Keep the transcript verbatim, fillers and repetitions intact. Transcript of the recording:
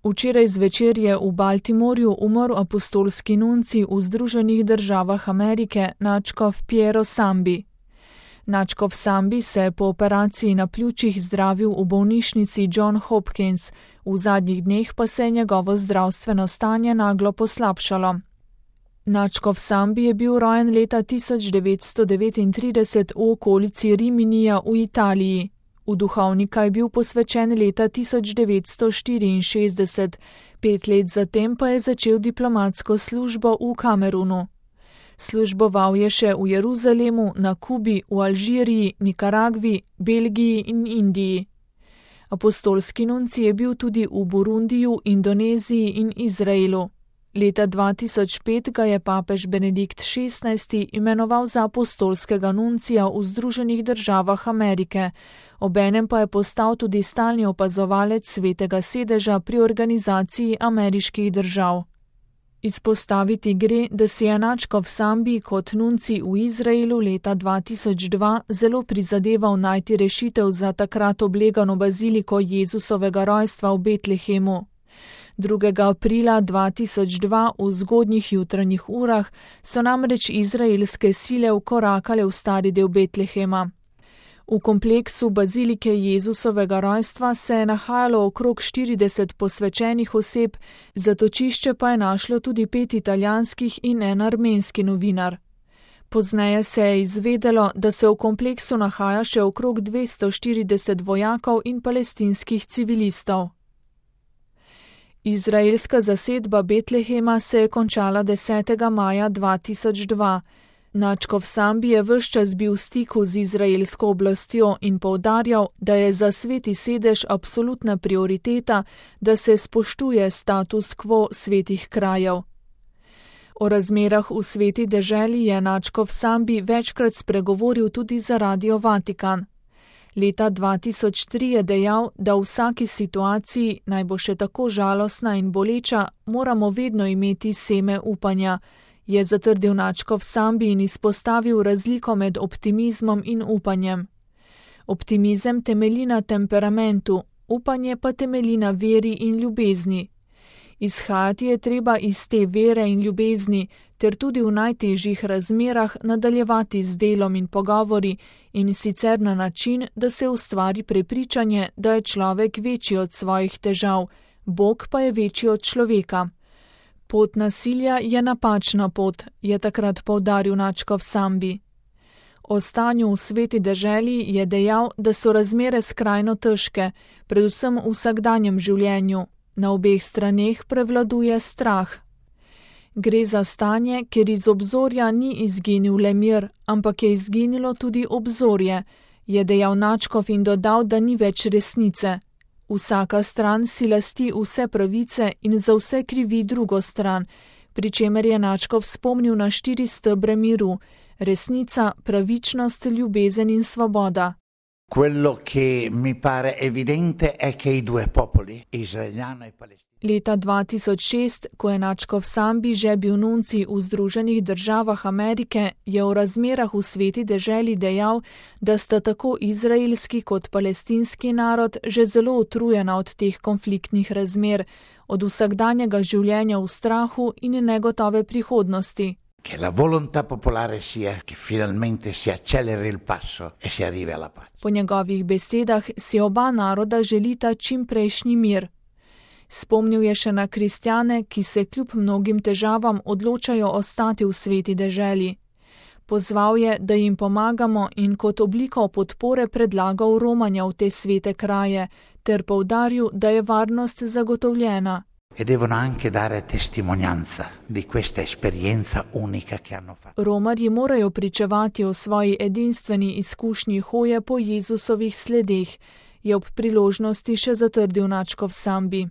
Včeraj zvečer je v Baltimorju umrl apostolski nuncij v Združenih državah Amerike, nadškof Piero Sambi. Nadškof Sambi se je po operaciji na pljučih zdravil v bolnišnici John Hopkins, v zadnjih dneh pa se je njegovo zdravstveno stanje naglo poslabšalo. Nadškof Sambi je bil rojen leta tisoč devetsto devetintrideset v okolici Riminija v Italiji. V duhovnika je bil posvečen leta tisoč devetsto štiriinšestdeset, pet let zatem pa je začel diplomatsko službo v Kamerunu. Služboval je še v Jeruzalemu, na Kubi, v Alžiriji, Nikaragvi, Belgiji in Indiji. Apostolski nuncij je bil tudi v Burundiju, Indoneziji in Izraelu. Leta dva tisoč pet ga je papež Benedikt šestnajsti imenoval za apostolskega nuncija v Združenih državah Amerike, obenem pa je postal tudi stalni opazovalec Svetega sedeža pri Organizaciji ameriških držav. Izpostaviti gre, da si je nadškof Sambi kot nuncij v Izraelu leta dva tisoč dva zelo prizadeval najti rešitev za takrat oblegano baziliko Jezusovega rojstva v Betlehemu. drugega aprila dva tisoč dva v zgodnjih jutranjih urah so namreč izraelske sile vkorakale v stari del Betlehema. V kompleksu bazilike Jezusovega rojstva se je nahajalo okrog štirideset posvečenih oseb, zatočišče pa je našlo tudi pet italijanskih in en armenski novinar. Pozneje se je izvedelo, da se v kompleksu nahaja še okrog dvesto štirideset vojakov in palestinskih civilistov. Izraelska zasedba Betlehema se je končala desetega maja dva tisoč dva. Nadškof Sambi je ves čas bil v stiku z izraelsko oblastjo in poudarjal, da je za sveti sedež absolutna prioriteta, da se spoštuje status quo svetih krajev. O razmerah v sveti deželi je nadškof Sambi večkrat spregovoril tudi za Radio Vatikan. Leta dva tisoč tri je dejal, da v vsaki situaciji, naj bo še tako žalostna in boleča, moramo vedno imeti seme upanja, je zatrdil nadškof Sambi in izpostavil razliko med optimizmom in upanjem. Optimizem temelji na temperamentu, upanje pa temelji na veri in ljubezni. Izhajati je treba iz te vere in ljubezni, ter tudi v najtežjih razmerah nadaljevati z delom in pogovori, in sicer na način, da se ustvari prepričanje, da je človek večji od svojih težav, Bog pa je večji od človeka. Pot nasilja je napačna pot, je takrat poudaril nadškof Sambi. O stanju v sveti deželi je dejal, da so razmere skrajno težke, predvsem v vsakdanjem življenju. Na obeh straneh prevladuje strah. Gre za stanje, kjer iz obzorja ni izginil le mir, ampak je izginilo tudi obzorje, je dejal nadškof in dodal, da ni več resnice. Vsaka stran si lasti vse pravice in za vse krivi drugo stran, pri čemer je nadškof spomnil na štiri stebre miru: resnica, pravičnost, ljubezen in svoboda. Quello che mi pare evidente è che i due popoli, israeliano e palestinano. Leta dva tisoč šest, ko je nadškof Sambi že bil nuncij v Združenih državah Amerike, je o razmerah v sveti deželi dejal, da sta tako izraelski kot palestinski narod že zelo utrujena od teh konfliktnih razmer, od vsakdanjega življenja v strahu in negotove prihodnosti. Che la volontà popolare sia che finalmente si acceleri il passo e si arrivi alla pace. Po njegovih besedah si oba naroda želita čimprejšnji mir. Spomnil je še na kristjane, ki se kljub mnogim težavam odločajo ostati v sveti deželi. Pozval je, da jim pomagamo in kot obliko podpore predlagal romanja v te svete kraje, ter poudaril, da je varnost zagotovljena. E devono anche dare testimonianza di questa esperienza unica che hanno fatto. Romarji morajo pričevati o svoji edinstveni izkušnji hoje po Jezusovih sledeh, je ob priložnosti še zatrdil nadškof Sambi.